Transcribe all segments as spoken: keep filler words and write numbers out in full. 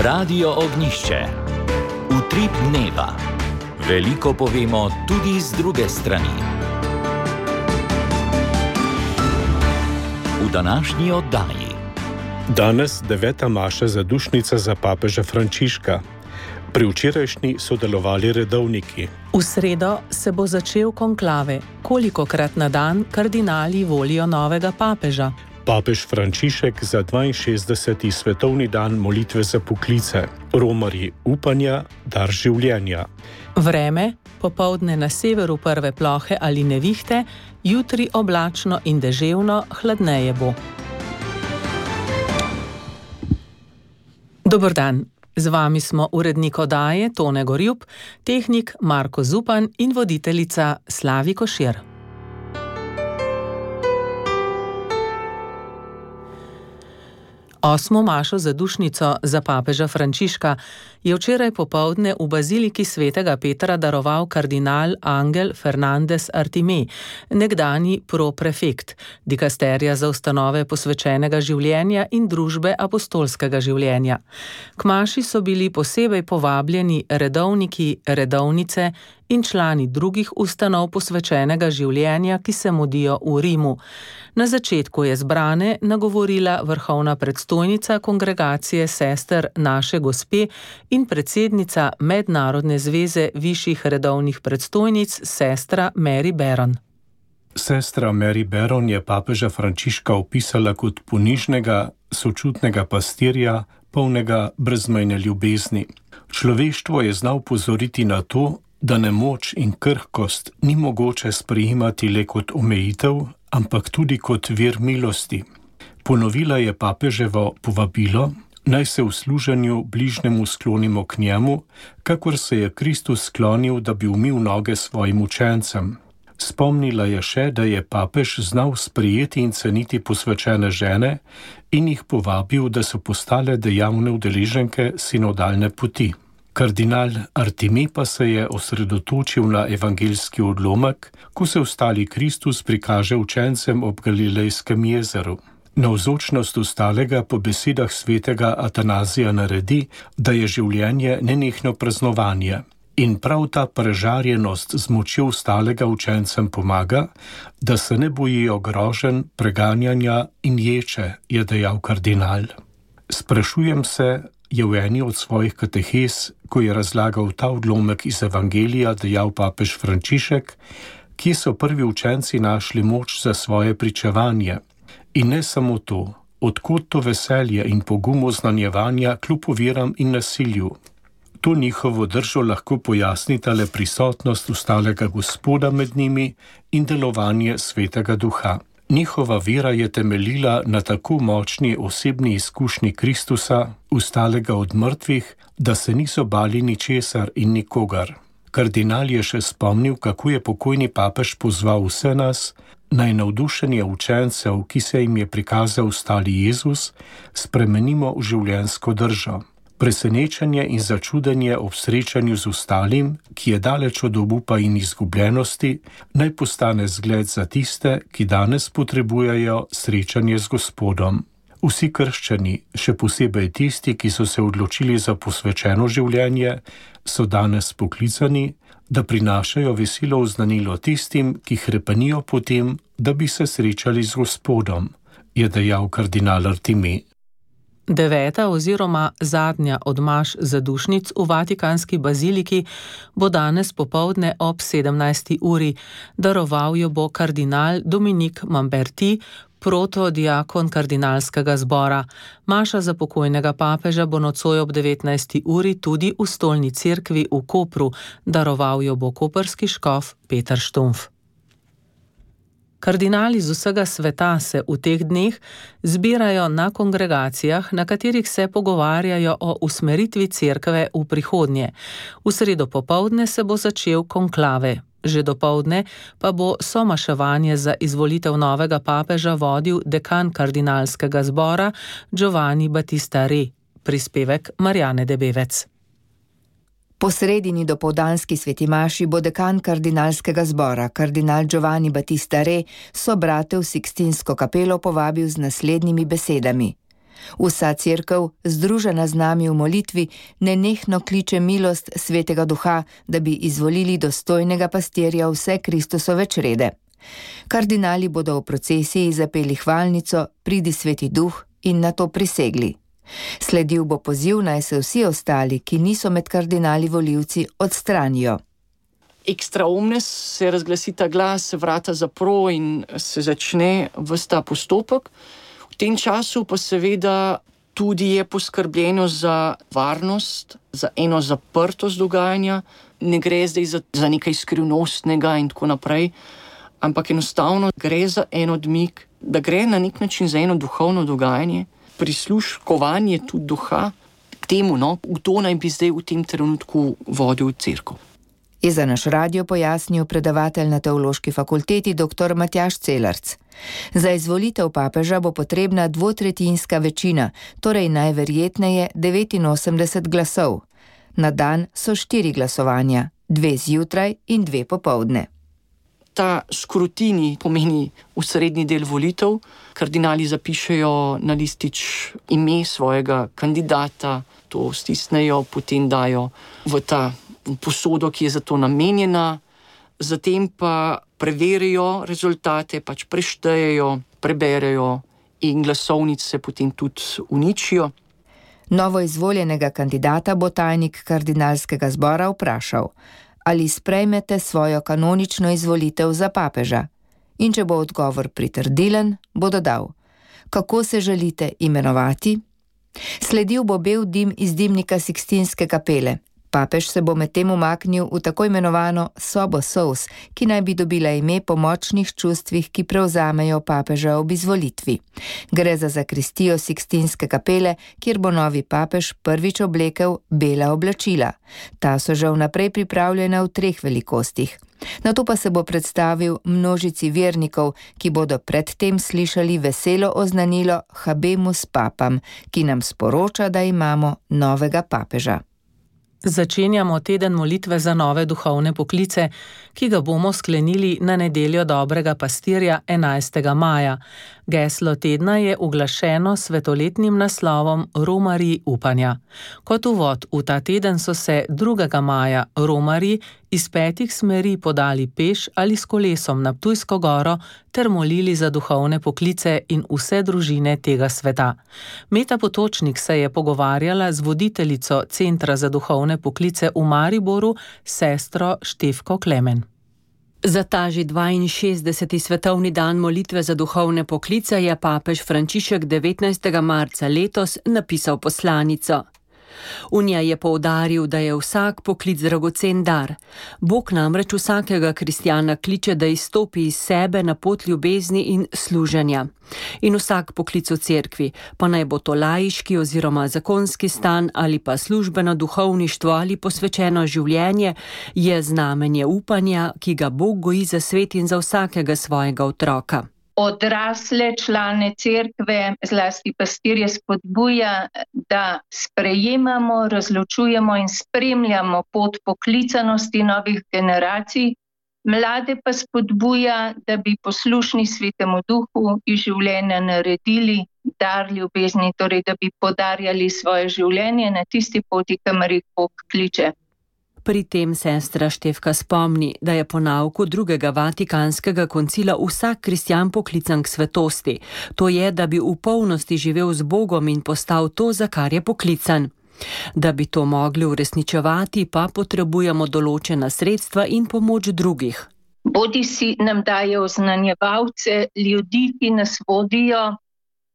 Radio Ognišče. Utrip dneva. Veliko povemo tudi z druge strani. V današnji oddaji. Danes deveta maša zadušnica za papeža Frančiška. Pri včerajšnji so delovali redovniki. V sredo se bo začel konklave. Kolikokrat na dan kardinali volijo novega papeža? Papež Frančišek za dvainšestdeseti svetovni dan molitve za poklice. Romarji upanja, dar življenja. Vreme, popoldne na severu prve plohe ali nevihte, jutri oblačno in deževno, hladneje bo. Dober dan. Z vami smo urednik oddaje Tone Gorjup, tehnik Marko Zupan in voditeljica Slavi Košir. Osmo mašo zadušnico za papeža Frančiška je včeraj popoldne v baziliki svetega Petra daroval kardinal Angel Fernández Artimé, nekdanji proprefekt dikasterija za ustanove posvečenega življenja in družbe apostolskega življenja. K maši so bili posebej povabljeni redovniki, redovnice in člani drugih ustanov posvečenega življenja, ki se mudijo v Rimu. Na začetku je zbrane nagovorila vrhovna predstojnica kongregacije sester Naše Gospe in predsednica Mednarodne zveze višjih redovnih predstojnic sestra Mary Baron. Sestra Mary Baron je papeža Frančiška opisala kot ponižnega, sočutnega pastirja, polnega brezmejne ljubezni. Človeštvo je znal pozoriti na to, da nemoč in krhkost ni mogoče sprejemati le kot omejitev, ampak tudi kot vir milosti. Ponovila je papeževo povabilo, naj se v služenju bližnjemu sklonimo k njemu, kakor se je Kristus sklonil, da bi umil noge svojim učencem. Spomnila je še, da je papež znal sprejeti in ceniti posvečene žene in jih povabil, da so postale dejavne udeleženke sinodalne poti. Kardinal Artimé pa se je osredotočil na evangeljski odlomek, ko se vstali Kristus prikaže učencem ob Galilejskem jezeru. Navzočnost vstalega po besedah svetega Atanazija naredi, da je življenje nenehno praznovanje. In prav ta prežarjenost z močjo vstalega učencem pomaga, da se ne bojijo groženj, preganjanja in ječe, je dejal kardinal. Sprašujem se, je v eni od svojih katehes, ko je razlagal ta odlomek iz evangelija, dejal papež Frančišek, kje so prvi učenci našli moč za svoje pričevanje. In ne samo to, odkot to veselje in pogum oznanjevanja kljub oviram in nasilju. To njihovo držo lahko pojasnita le prisotnost vstalega Gospoda med njimi in delovanje Svetega Duha. Njihova vera je temeljila na tako močni osebni izkušnji Kristusa, vstalega od mrtvih, da se niso bali ničesar in nikogar. Kardinal je še spomnil, kako je pokojni papež pozval vse nas, naj navdušenje učencev, ki se jim je prikazal vstali Jezus, spremenimo v življenjsko držo. Presenečenje in začudenje ob srečanju z vstalim, ki je daleč od obupa in izgubljenosti, naj postane zgled za tiste, ki danes potrebujejo srečanje z Gospodom. Vsi krščani, še posebej tisti, ki so se odločili za posvečeno življenje, so danes poklicani, da prinašajo veselo oznanilo tistim, ki hrepenijo po tem, da bi se srečali z Gospodom, je dejal kardinal Artimé. Deveta oziroma zadnja od maš zadušnic v Vatikanski baziliki bo danes popoldne ob sedemnajsti uri. Daroval jo bo kardinal Dominik Mamberti, protodiakon kardinalskega zbora. Maša za pokojnega papeža bo nocoj ob devetnajsti uri tudi v stolni cerkvi v Kopru. Daroval jo bo koprski škof Peter Štumpf. Kardinali z vsega sveta se v teh dneh zbirajo na kongregacijah, na katerih se pogovarjajo o usmeritvi cerkve v prihodnje. V sredo popoldne se bo začel konklave. Že dopoldne pa bo somaševanje za izvolitev novega papeža vodil dekan kardinalskega zbora Giovanni Battista Re. Prispevek Marjane Debevec. Po sredini dopoldanski sveti maši bo dekan kardinalskega zbora, kardinal Giovanni Battista Re, sobrate v Sikstinsko kapelo povabil z naslednjimi besedami. Vsa cerkev, združena z nami v molitvi, nenehno kliče milost Svetega Duha, da bi izvolili dostojnega pastirja vse Kristusove črede. Kardinali bodo v procesiji zapeli hvalnico Pridi Sveti Duh in na to prisegli. Sledil bo poziv, naj se vsi ostali, ki niso med kardinali volivci, odstranijo. Extra omnes se razglasi ta glas, se vrata zapro in se začne ves ta postopek. V tem času pa seveda tudi je poskrbljeno za varnost, za eno zaprtost dogajanja. Ne gre zdaj za, za nekaj skrivnostnega in tako naprej, ampak enostavno gre za en odmik, da gre na nek način za eno duhovno dogajanje, prisluškovanje tudi duha temu, no, v to naj bi zdaj v tem trenutku vodil cerkev. Je za naš radio pojasnil predavatelj na Teološki fakulteti dr. Matjaž Celarc. Za izvolitev papeža bo potrebna dvotretjinska večina, torej najverjetneje devetinosemdeset glasov. Na dan so štiri glasovanja, dve zjutraj in dve popoldne. Ta skrutini pomeni osrednji del volitev. Kardinali zapišejo na listič ime svojega kandidata, to stisnejo, potem dajo v ta posodo, ki je za to namenjena, zatem pa preverijo rezultate, pač preštejejo, preberejo in glasovnice potem tudi uničijo. Novo izvoljenega kandidata bo tajnik kardinalskega zbora vprašal, ali sprejmete svojo kanonično izvolitev za papeža. In če bo odgovor pritrdilen, bo dodal, kako se želite imenovati? Sledil bo bel dim iz dimnika Sikstinske kapele. Papež se bo medtem umaknil v tako imenovano sobo solz, ki naj bi dobila ime po močnih čustvih, ki prevzamejo papeža ob izvolitvi. Gre za zakristijo Sikstinske kapele, kjer bo novi papež prvič oblekel bela oblačila. Ta so že vnaprej pripravljena v treh velikostih. Nato pa se bo predstavil množici vernikov, ki bodo predtem slišali veselo oznanilo Habemus Papam, ki nam sporoča, da imamo novega papeža. Začenjamo teden molitve za nove duhovne poklice, ki ga bomo sklenili na nedeljo dobrega pastirja enajstega maja. Geslo tedna je uglašeno s svetoletnim naslovom Romarji upanja. Kot uvod v ta teden so se drugega maja romarji iz petih smeri podali peš ali s kolesom na Ptujsko goro ter molili za duhovne poklice in vse družine tega sveta. Meta Potočnik se je pogovarjala z voditeljico Centra za duhovne poklice v Mariboru, sestro Štefko Klemen. Za ta že dvainšestdeseti svetovni dan molitve za duhovne poklice je papež Frančišek devetnajstega marca letos napisal poslanico. V njej je poudaril, da je vsak poklic dragocen dar. Bog namreč vsakega kristjana kliče, da izstopi iz sebe na pot ljubezni in služenja. In vsak poklic v cerkvi, pa naj bo to laiški oziroma zakonski stan ali pa službeno duhovništvo ali posvečeno življenje, je znamenje upanja, ki ga Bog goji za svet in za vsakega svojega otroka. Odrasle člane cerkve, zlasti pastirje, spodbuja, da sprejemamo, razločujemo in spremljamo pot poklicanosti novih generacij, mlade pa spodbuja, da bi poslušni Svetemu Duhu iz življenja naredili dar ljubezni, torej da bi podarjali svoje življenje na tisti poti, kamor jih Bog kliče. Pri tem sestra Štefka spomni, da je po nauku drugega Vatikanskega koncila vsak kristjan poklican k svetosti. To je, da bi v polnosti živel z Bogom in postal to, za kar je poklican. Da bi to mogli uresničevati, pa potrebujemo določena sredstva in pomoč drugih. Bodi si nam daje oznanjevalce, ljudi, ki nas vodijo,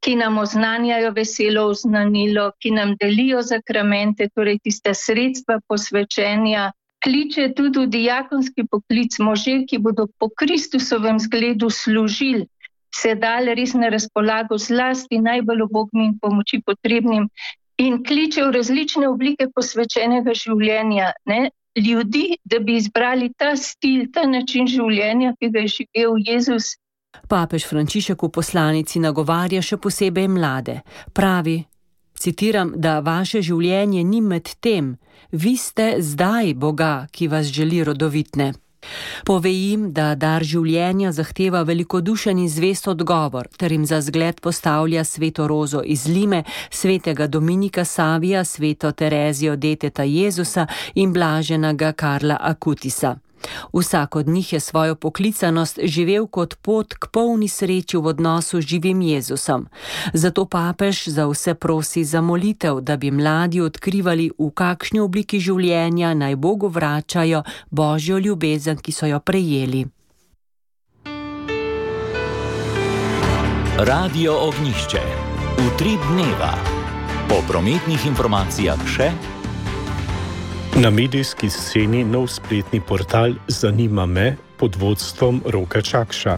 ki nam oznanjajo veselo oznanilo, ki nam delijo zakramente, torej tiste sredstva posvečenja. Kliče tudi v diakonski poklic može, ki bodo po Kristusovem zgledu služili, se dali res na razpolago zlasti najbolj ubogim in pomoči potrebnim in kliče v različne oblike posvečenega življenja, ne? Ljudi, da bi izbrali ta stil, ta način življenja, ki ga je živel Jezus. Papež Frančišek v poslanici nagovarja še posebej mlade. Pravi, citiram, da vaše življenje ni med tem, vi ste zdaj Boga, ki vas želi rodovitne. Pove jim, da dar življenja zahteva velikodušen in zvest odgovor, ter jim za zgled postavlja sveto Rozo iz Lime, svetega Dominika Savija, sveto Terezijo deteta Jezusa in blaženega Karla Akutisa. Vsak od njih je svojo poklicanost živel kot pot k polni sreči v odnosu z živim Jezusom. Zato papež za vse prosi za molitev, da bi mladi odkrivali, v kakšni obliki življenja naj Bogu vračajo Božjo ljubezen, ki so jo prejeli. Radio Ognjišče. Utrip dneva. Po prometnih informacijah še. Na medijski sceni nov spletni portal Zanima me pod vodstvom Roka Čakša.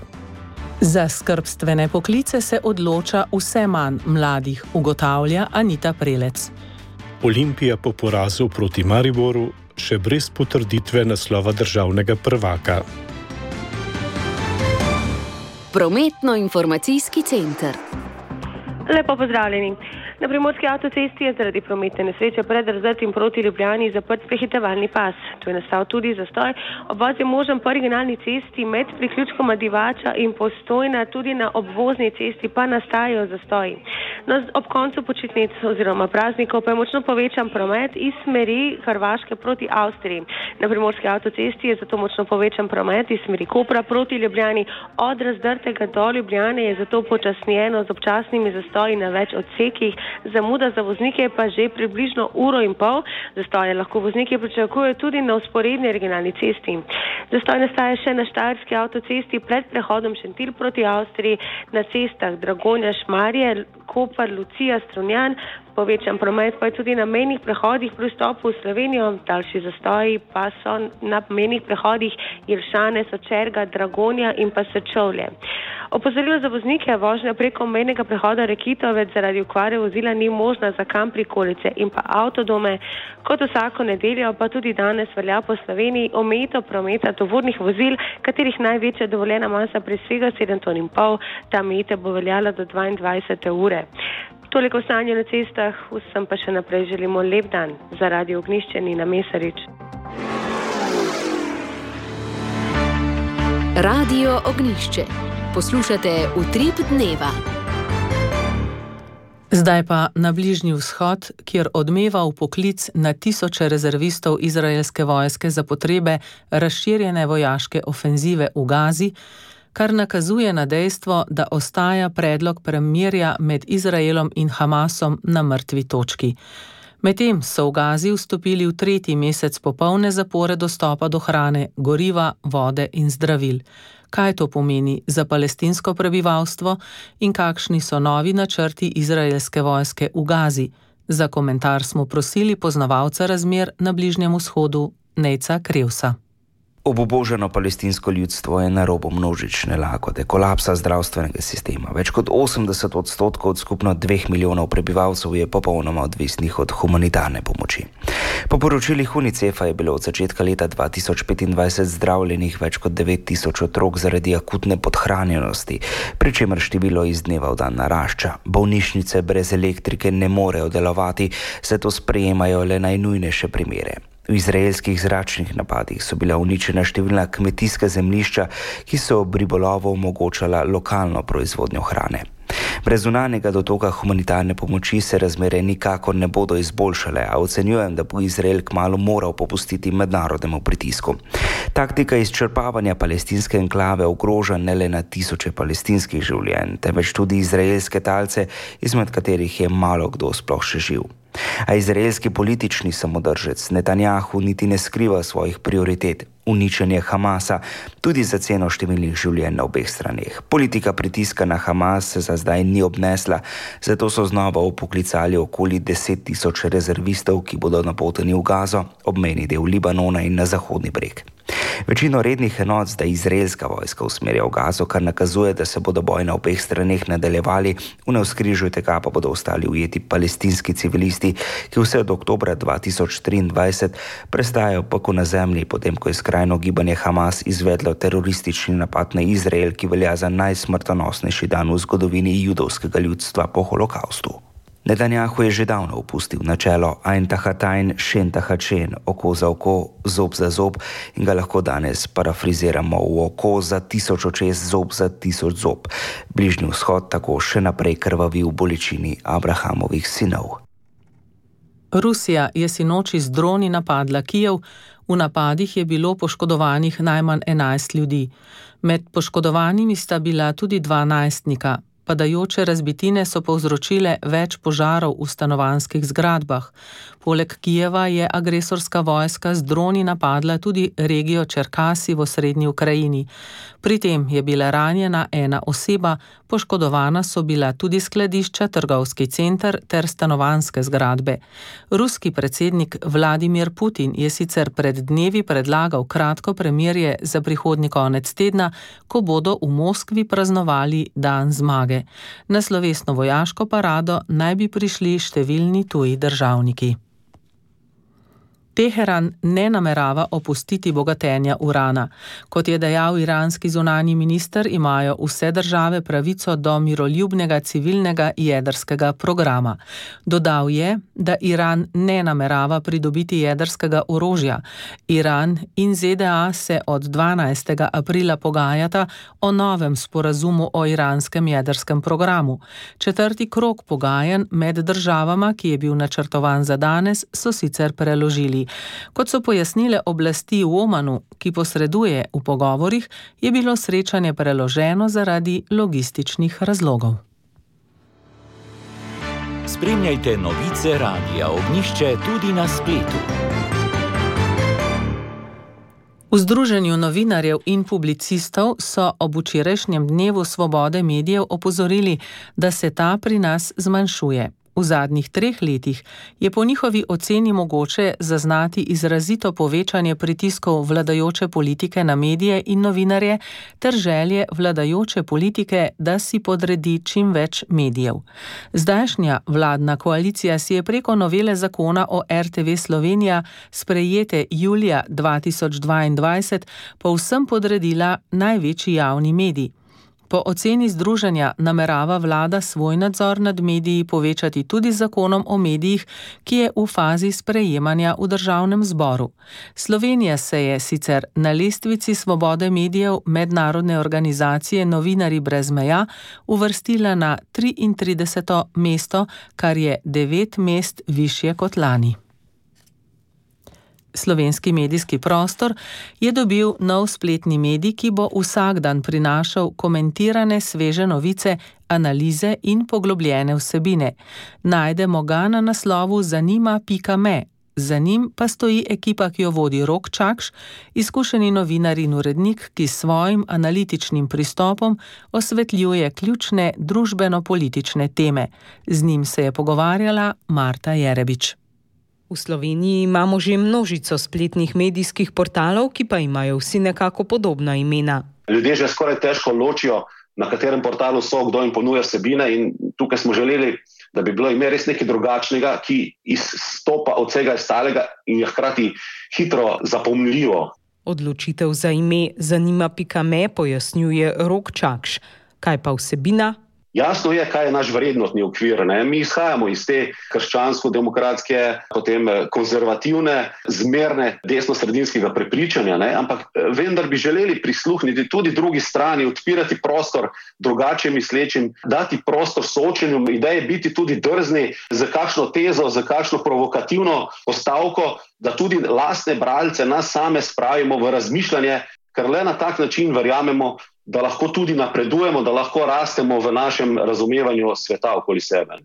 Za skrbstvene poklice se odloča vse manj mladih, ugotavlja Anita Prelec. Olimpija po porazu proti Mariboru še brez potrditve naslova državnega prvaka. Prometno-informacijski center. Lepo pozdravljeni. Na primorski avtocesti je zaradi prometne nesreče pred Razdrtim proti Ljubljani zaprt prehitevalni pas. Tu je nastal tudi zastoj. Obvoz je možen po originalni cesti med priključkoma Divača in Postojna, tudi na obvozni cesti pa nastajajo zastoji. No, ob koncu počitnic oziroma praznikov pa je močno povečan promet iz smeri Hrvaške proti Avstriji. Na primorski avtocesti je zato močno povečan promet iz smeri Kopra proti Ljubljani. Od Razdrtega do Ljubljane je zato počasnjeno z občasnimi zastoji na več odsekih. Zamuda za voznike pa že približno uro in pol. Zastoje lahko vozniki pričakujejo tudi na vzporedni regionalni cesti. Zastoj nastaja še na Štajerski avtocesti pred prehodom Šentilj proti Avstriji, na cestah Dragonja, Šmarje, Koper, Lucija, Strunjan. Povečan promet pa je tudi na mejnih prehodih pri vstopu v Slovenijo. Daljši zastoji pa so na mejnih prehodih Jelšane, Sočerga, Dragonja in pa Sečovlje. Opozorilo za voznike: vožnja preko mejnega prehoda Rekitovec zaradi okvare vozila ni možna za kamp prikolice in pa avtodome. Kot vsako nedeljo pa tudi danes velja po Sloveniji omejitev prometa tovornih vozil, katerih največja dovoljena masa presega sedem ton in pol. Ta omejitev bo veljala do dvaindvajsete ure. Toliko stanja na cestah, vsem pa še naprej želimo lep dan. Za Radio Ognjišče Nina Mesarič. Radio Ognjišče. Poslušate Utrip dneva. Zdaj pa na Bližnji vzhod, kjer odmeva vpoklic na tisoče rezervistov izraelske vojske za potrebe razširjene vojaške ofenzive v Gazi, kar nakazuje na dejstvo, da ostaja predlog premirja med Izraelom in Hamasom na mrtvi točki. Medtem so v Gazi vstopili v tretji mesec popolne zapore dostopa do hrane, goriva, vode in zdravil. Kaj to pomeni za palestinsko prebivalstvo in kakšni so novi načrti izraelske vojske v Gazi? Za komentar smo prosili poznavalca razmer na Bližnjem vzhodu, Nejca Krevsa. Obubožano palestinsko ljudstvo je na robu množične lakote, kolapsa zdravstvenega sistema. Več kot osemdeset odstotkov od skupno dveh milijonov prebivalcev je popolnoma odvisnih od humanitarne pomoči. Po poročilih Unicefa je bilo od začetka leta dva tisoč petindvajset zdravljenih več kot devet tisoč otrok zaradi akutne podhranjenosti, pri čemer število iz dneva v dan narašča. Bolnišnice brez elektrike ne morejo delovati, zato sprejemajo le najnujnejše primere. V izraelskih zračnih napadih so bila uničena številna kmetijska zemljišča, ki so ob ribolovu omogočala lokalno proizvodnjo hrane. Brez zunanjega dotoka humanitarne pomoči se razmere nikakor ne bodo izboljšale, a ocenjujem, da bo Izrael kmalu moral popustiti mednarodnemu pritisku. Taktika izčrpavanja palestinske enklave ogroža ne le na tisoče palestinskih življenj, temveč tudi izraelske talce, izmed katerih je malo kdo sploh še živ. A izraelski politični samodržec Netanjahu niti ne skriva svojih prioritet. Uničenje Hamasa, tudi za ceno številnih življenj na obeh straneh. Politika pritiska na Hamas se za zdaj ni obnesla, zato so znova vpoklicali okoli deset tisoč rezervistov, ki bodo napoteni v Gazo, obmejni del Libanona in na Zahodni breg. Večino rednih enot zdaj izraelska vojska usmerja v Gazo, kar nakazuje, da se bodo boji na obeh straneh nadaljevali, v navzkrižju tega pa bodo ostali ujeti palestinski civilisti, ki vse od oktobra dva tisoč triindvajset prestajajo peko na zemlji, potem ko je skrajno gibanje Hamas izvedlo teroristični napad na Izrael, ki velja za najsmrtonosnejši dan v zgodovini judovskega ljudstva po holokaustu. Netanjahu je že davno opustil načelo ein tahatain, šen tahačen, oko za oko, zob za zob in ga lahko danes parafriziramo v oko za tisoč očes, zob za tisoč zob. Bližnji vzhod tako še naprej krvavi v bolečini Abrahamovih sinov. Rusija je sinoči z droni napadla Kijev, v napadih je bilo poškodovanih najmanj enajst ljudi. Med poškodovanimi sta bila tudi dva najstnika. Padajoče razbitine so povzročile več požarov v stanovanjskih zgradbah. Poleg Kijeva je agresorska vojska z droni napadla tudi regijo Čerkasi v osrednji Ukrajini. Pri tem je bila ranjena ena oseba, poškodovana so bila tudi skladišča, trgovski center ter stanovanjske zgradbe. Ruski predsednik Vladimir Putin je sicer pred dnevi predlagal kratko premirje za prihodnji konec tedna, ko bodo v Moskvi praznovali dan zmage. Na slovesno vojaško parado naj bi prišli številni tuji državniki. Teheran ne namerava opustiti bogatenja urana. Kot je dejal iranski zunanji minister, imajo vse države pravico do miroljubnega civilnega jedrskega programa. Dodal je, da Iran ne namerava pridobiti jedrskega orožja. Iran in ZDA se od dvanajstega aprila pogajata o novem sporazumu o iranskem jedrskem programu. Četrti krog pogajanj med državama, ki je bil načrtovan za danes, so sicer preložili. Kot so pojasnile oblasti v Omanu, ki posreduje v pogovorih, je bilo srečanje preloženo zaradi logističnih razlogov. Spremljajte novice Radia Ognjišče tudi na spletu. V Združenju novinarjev in publicistov so ob včerajšnjem dnevu svobode medijev opozorili, da se ta pri nas zmanjšuje. V zadnjih treh letih je po njihovi oceni mogoče zaznati izrazito povečanje pritiskov vladajoče politike na medije in novinarje ter želje vladajoče politike, da si podredi čim več medijev. Zdajšnja vladna koalicija si je preko novele zakona o R T V Slovenija, sprejete julija dva tisoč dvaindvajset, povsem podredila največji javni medij. Po oceni združenja namerava vlada svoj nadzor nad mediji povečati tudi z zakonom o medijih, ki je v fazi sprejemanja v državnem zboru. Slovenija se je sicer na lestvici svobode medijev mednarodne organizacije Novinarji brez meja uvrstila na triintrideseto mesto, kar je devet mest višje kot lani. Slovenski medijski prostor je dobil nov spletni medij, ki bo vsak dan prinašal komentirane sveže novice, analize in poglobljene vsebine. Najdemo ga na naslovu zanima pika me. Za njim pa stoji ekipa, ki jo vodi Rok Čakš, izkušeni novinar in urednik, ki s svojim analitičnim pristopom osvetljuje ključne družbeno-politične teme. Z njim se je pogovarjala Marta Jerebič. V Sloveniji imamo že množico spletnih medijskih portalov, ki pa imajo vsi nekako podobna imena. Ljudje že skoraj težko ločijo, na katerem portalu so, kdo jim ponuja vsebine, in tukaj smo želeli, da bi bilo ime res nekaj drugačnega, ki izstopa od vsega ostalega in je hkrati hitro zapomnljivo. Odločitev za ime zanima pika me pojasnjuje Rok Čakš. Kaj pa vsebina? Jasno je, kaj je naš vrednotni okvir. Ne? Mi izhajamo iz te krščansko-demokratske, potem konzervativne, zmerne desno-sredinskega prepričanja, ne? Ampak vendar bi želeli prisluhniti tudi drugi strani, odpirati prostor drugače mislečim, dati prostor soočenju ideje, biti tudi drzni za kakšno tezo, za kakšno provokativno postavko, da tudi lastne bralce, nas same spravimo v razmišljanje, ker le na tak način verjamemo, da lahko tudi napredujemo, da lahko rastemo v našem razumevanju sveta okoli sebe.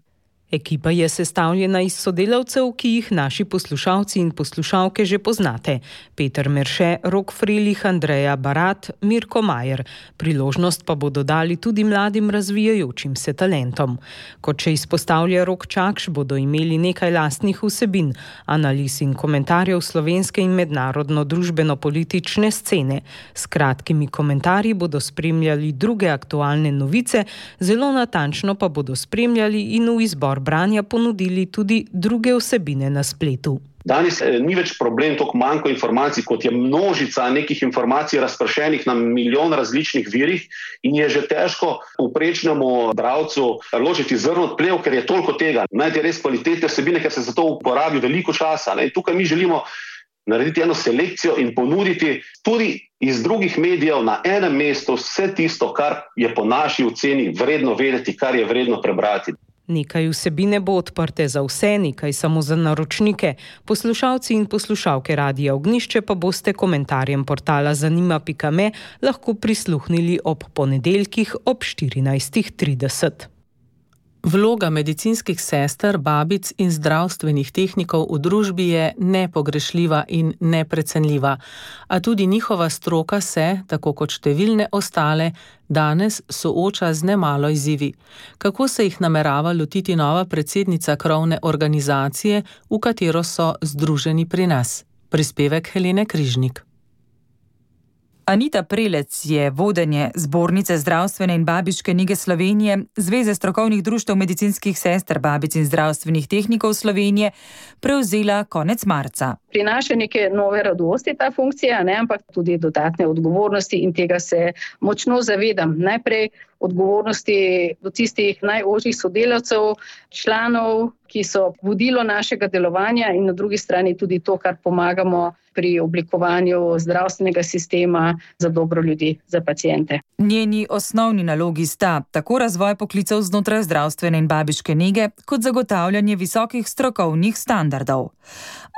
Ekipa je sestavljena iz sodelavcev, ki jih naši poslušalci in poslušalke že poznate. Peter Merše, Rok Frelih, Andreja Barat, Mirko Majer. Priložnost pa bodo dali tudi mladim razvijajočim se talentom. Kot še izpostavlja Rok Čakš, bodo imeli nekaj lastnih vsebin, analiz in komentarjev slovenske in mednarodno družbeno-politične scene. S kratkimi komentarji bodo spremljali druge aktualne novice, zelo natančno pa bodo spremljali in v izbor branja ponudili tudi druge vsebine na spletu. Danes eh, ni več problem toliko manjko informacij, kot je množica nekih informacij razpršenih na milijon različnih virih in je že težko povprečnemu bralcu ločiti zrno od plev, ker je toliko tega. Najti res kvalitetne vsebine, ker se za to uporabi veliko časa. Ne? Tukaj mi želimo narediti eno selekcijo in ponuditi tudi iz drugih medijev na enem mestu vse tisto, kar je po naši oceni vredno vedeti, kar je vredno prebrati. Nekaj vsebine bo odprte za vse, nekaj samo za naročnike. Poslušalci in poslušalke Radia Ognjišče pa boste komentarjem portala zanima pika me lahko prisluhnili ob ponedeljkih ob štirinajst trideset. Vloga medicinskih sester, babic in zdravstvenih tehnikov v družbi je nepogrešljiva in neprecenljiva, a tudi njihova stroka se, tako kot številne ostale, danes sooča z nemalo izzivi. Kako se jih namerava lotiti nova predsednica krovne organizacije, v katero so združeni pri nas? Prispevek Helene Križnik. Anita Prelec je vodenje Zbornice zdravstvene in babiške nege Slovenije, Zveze strokovnih društev medicinskih sester, babic in zdravstvenih tehnikov Slovenije, prevzela konec marca. Prinaša neke nove radosti ta funkcija, ne, ampak tudi dodatne odgovornosti in tega se močno zavedam. Najprej odgovornosti do tistih najožjih sodelavcev, članov, ki so vodilo našega delovanja in na drugi strani tudi to, kar pomagamo pri oblikovanju zdravstvenega sistema za dobro ljudi, za paciente. Njeni osnovni nalogi sta tako razvoj poklicev znotraj zdravstvene in babiške nege, kot zagotavljanje visokih strokovnih standardov.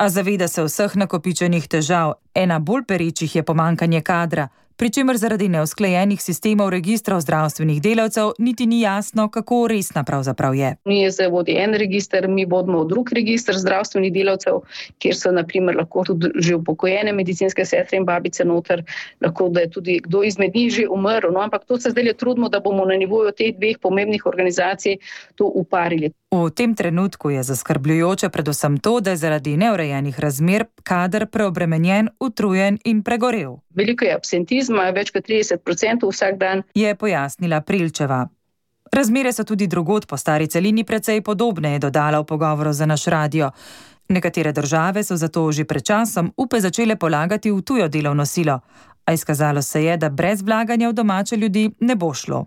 A zaveda se vseh nakopičenih težav, ena bolj perečih je pomanjkanje kadra, pri čemer zaradi neusklajenih sistemov registrov zdravstvenih delavcev niti ni jasno, kako resna pravzaprav je. Mi je zdaj vodi en register, mi vodimo drug register zdravstvenih delavcev, kjer so na primer lahko tudi že upokojene medicinske sestre in babice noter, lahko da je tudi kdo izmed njih že umrl, no, ampak to se zdaj trudimo, da bomo na nivoju teh dveh pomembnih organizacij to uparili. V tem trenutku je zaskrbljujoče predvsem to, da je zaradi neurejenih razmer kader preobremenjen, utrujen in pregorel. Veliko je absentizma, več kot trideset procentov vsak dan, je pojasnila Prilčeva. Razmere so tudi drugod po stari celini precej podobne, je dodala v pogovoru za naš radio. Nekatere države so zato že pred časom upe začele polagati v tujo delovno silo, a izkazalo se je, da brez vlaganja v domače ljudi ne bo šlo.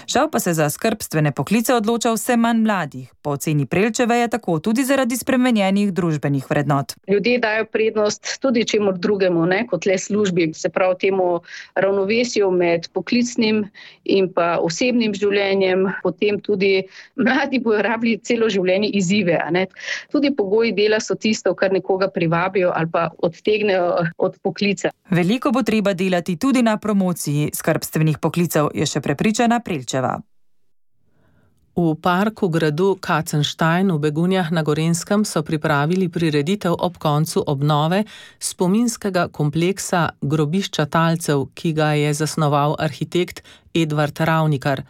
Žal pa se za skrbstvene poklice odloča vse manj mladih. Po oceni Prelčeve je tako tudi zaradi spremenjenih družbenih vrednot. Ljudje dajo prednost tudi čemu drugemu, ne, kot le službi, se pravi temu ravnovesju med poklicnim in pa osebnim življenjem, potem tudi mladi bojo rabili celo življenje izzive. Ne. Tudi pogoji dela so tisto, kar nekoga privabijo ali pa odtegnejo od poklica. Veliko bo treba delati tudi na promociji skrbstvenih poklicev, je še prepričana Prilčeva. V parku gradu Kacenstein v Begunjah na Gorenjskem so pripravili prireditev ob koncu obnove spominskega kompleksa grobišča talcev, ki ga je zasnoval arhitekt Edvard Ravnikar.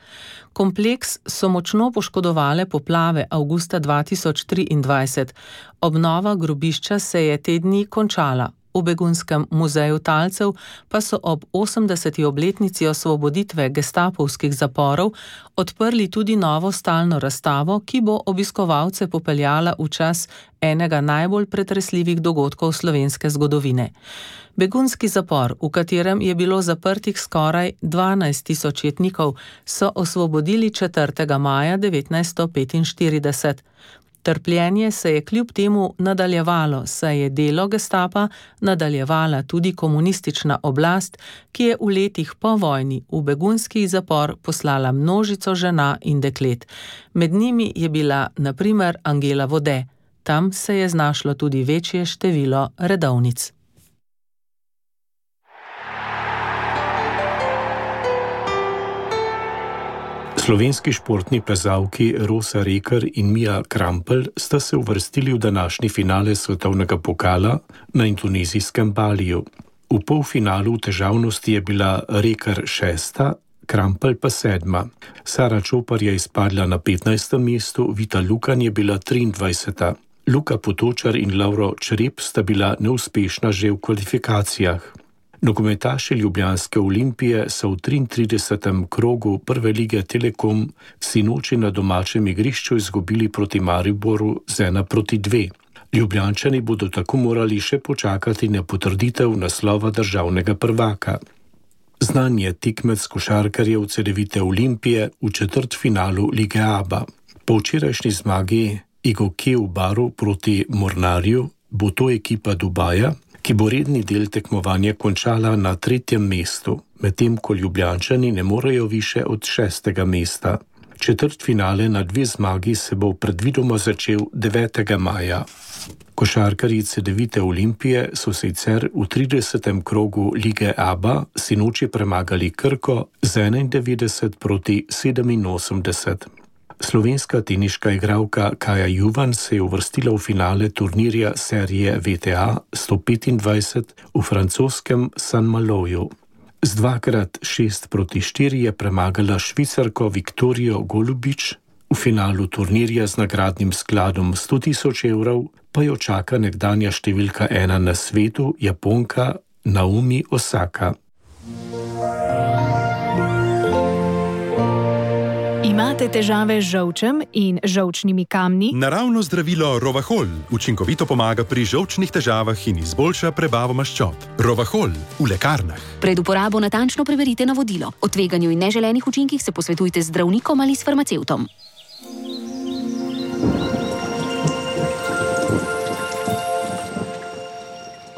Kompleks so močno poškodovale poplave avgusta dva tisoč triindvajset. Obnova grobišča se je te dni končala. V Begunjskem muzeju talcev pa so ob osemdeseti obletnici osvoboditve gestapovskih zaporov odprli tudi novo stalno razstavo, ki bo obiskovalce popeljala v čas enega najbolj pretresljivih dogodkov slovenske zgodovine. Begunjski zapor, v katerem je bilo zaprtih skoraj dvanajst tisoč jetnikov, so osvobodili četrtega maja devetnajststo petinštirideset. Trpljenje se je kljub temu nadaljevalo, saj je delo gestapa nadaljevala tudi komunistična oblast, ki je v letih po vojni v begunjski zapor poslala množico žena in deklet. Med njimi je bila na primer Angela Vode. Tam se je znašlo tudi večje število redovnic. Slovenski športni plezalki Rosa Reker in Mija Krampelj sta se uvrstili v današnji finale svetovnega pokala na indonezijskem Baliju. V polfinalu v težavnosti je bila Reker šesta, Krampelj pa sedma. Sara Čopar je izpadla na petnajstem mestu, Vita Lukan je bila triindvajseta. Luka Potočar in Lauro Črep sta bila neuspešna že v kvalifikacijah. Nogometaši ljubljanske Olimpije so v triintridesetem krogu prve lige Telekom sinoči na domačem igrišču izgubili proti Mariboru z ena proti dve. Ljubljančani bodo tako morali še počakati na potrditev naslova državnega prvaka. Znan je tekmec košarkarjev Cedevite Olimpije v četrtfinalu Lige Aba. Po včerajšnji zmagi Igoke v Baru proti Mornarju bo to ekipa Dubaja, ki bo redni del tekmovanja končala na tretjem mestu, medtem ko Ljubljančani ne morejo više od šestega mesta. Četrtfinale na dve zmagi se bo predvidoma začel devetega maja. Košarkarji Cedevite Olimpije so sicer v tridesetem krogu Lige Aba sinoči premagali Krko z enaindevetdeset proti sedeminosemdeset. Slovenska teniška igralka Kaja Juvan se je uvrstila v finale turnirja serije V T A sto petindvajset v francoskem Saint-Maloju. Z dvakrat šest proti štiri je premagala Švicarko Viktorijo Golubič, v finalu turnirja z nagradnim skladom sto tisoč evrov pa jo čaka nekdanja številka ena na svetu, Japonka Naomi Osaka. Imate težave z žolčem in žolčnimi kamni? Naravno zdravilo Rovahol učinkovito pomaga pri žolčnih težavah in izboljša prebavo maščob. Rovahol v lekarnah. Pred uporabo natančno preverite navodilo. O tveganju in neželenih učinkih se posvetujte z zdravnikom ali s farmacevtom.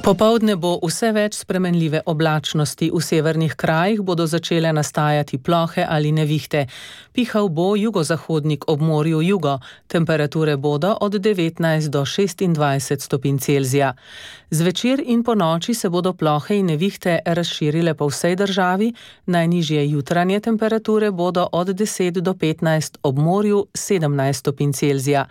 Popoldne bo vse več spremenljive oblačnosti. V severnih krajih bodo začele nastajati plohe ali nevihte. Pihal bo jugozahodnik ob morju jugo. Temperature bodo od devetnajst do šestindvajset stopinj Celzija. Zvečer in po noči se bodo plohe in nevihte razširile po vsej državi. Najnižje jutranje temperature bodo od deset do petnajst, ob morju sedemnajst stopinj Celzija.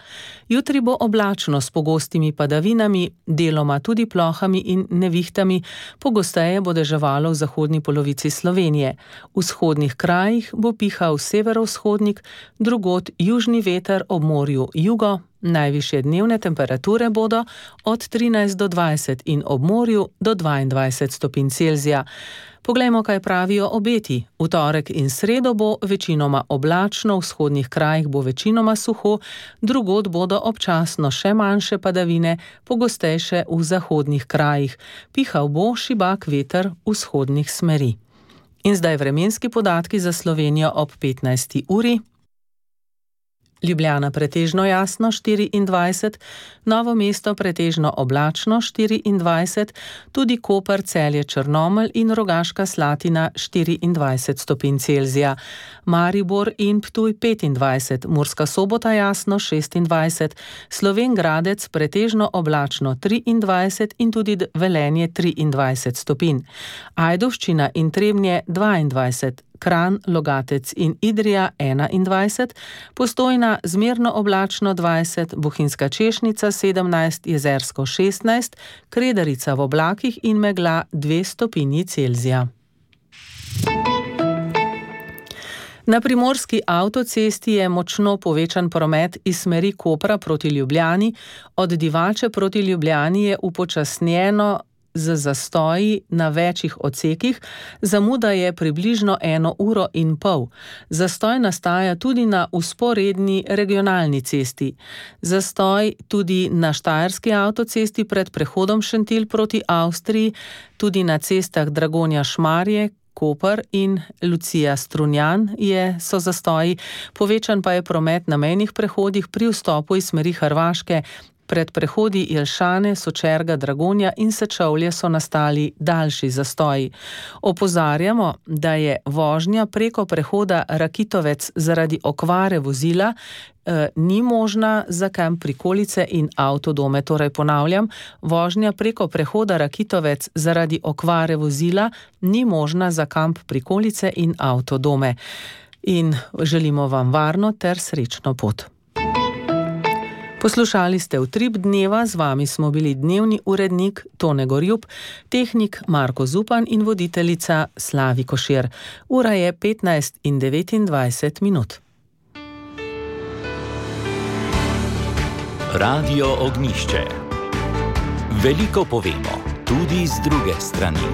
Jutri bo oblačno s pogostimi padavinami, deloma tudi plohami in nevihtami, pogosteje bo deževalo v zahodni polovici Slovenije. V vzhodnih krajih bo pihal severovzhodnik, drugod južni veter ob morju jugo. Najvišje dnevne temperature bodo od trinajst do dvajset in ob morju do dvaindvajset stopinj Celzija. Poglejmo, kaj pravijo obeti. V torek in sredo bo večinoma oblačno, v vzhodnih krajih bo večinoma suho, drugod bodo občasno še manjše padavine, pogostejše v zahodnih krajih. Pihal bo šibak veter vzhodnih smeri. In zdaj vremenski podatki za Slovenijo ob petnajsti uri. Ljubljana pretežno jasno štiriindvajset, Novo mesto pretežno oblačno štiriindvajset, tudi Koper, Celje, Črnomelj in Rogaška Slatina štiriindvajset stopinj Celzija. Maribor in Ptuj petindvajset, Murska Sobota jasno šestindvajset, Slovenj Gradec pretežno oblačno triindvajset in tudi Velenje triindvajset stopinj. Ajdovščina in Trebnje dvaindvajset, Kranj, Logatec in Idrija enaindvajset, Postojna zmerno oblačno dvajset, Bohinjska Češnica sedemnajst, Jezersko šestnajst, Kredarica v oblakih in megla dve stopinji Celzija. Na primorski avtocesti je močno povečan promet iz smeri Kopra proti Ljubljani, od Divače proti Ljubljani je upočasnjeno z zastoji na večjih odsekih, zamuda je približno eno uro in pol. Zastoj nastaja tudi na vzporedni regionalni cesti. Zastoj tudi na štajerski avtocesti pred prehodom Šentilj proti Avstriji, tudi na cestah Dragonja-Šmarje, Koper in Lucija-Strunjan je, so zastoji, povečan pa je promet na mejnih prehodih pri vstopu iz smeri Hrvaške. Pred prehodi Jelšane, Sočerga, Dragonja in Sečovlje so nastali daljši zastoji. Opozarjamo, da je vožnja preko prehoda Rakitovec zaradi okvare vozila eh, ni možna za kamp prikolice in avtodome. Torej ponavljam, vožnja preko prehoda Rakitovec zaradi okvare vozila ni možna za kamp prikolice in avtodome. In želimo vam varno ter srečno pot. Poslušali ste Utrip dneva, z vami smo bili dnevni urednik Tone Gorjup, tehnik Marko Zupan in voditeljica Slavi Košir. Ura je petnajst in devetindvajset minut. Radio Ognjišče. Veliko povemo, tudi z druge strani.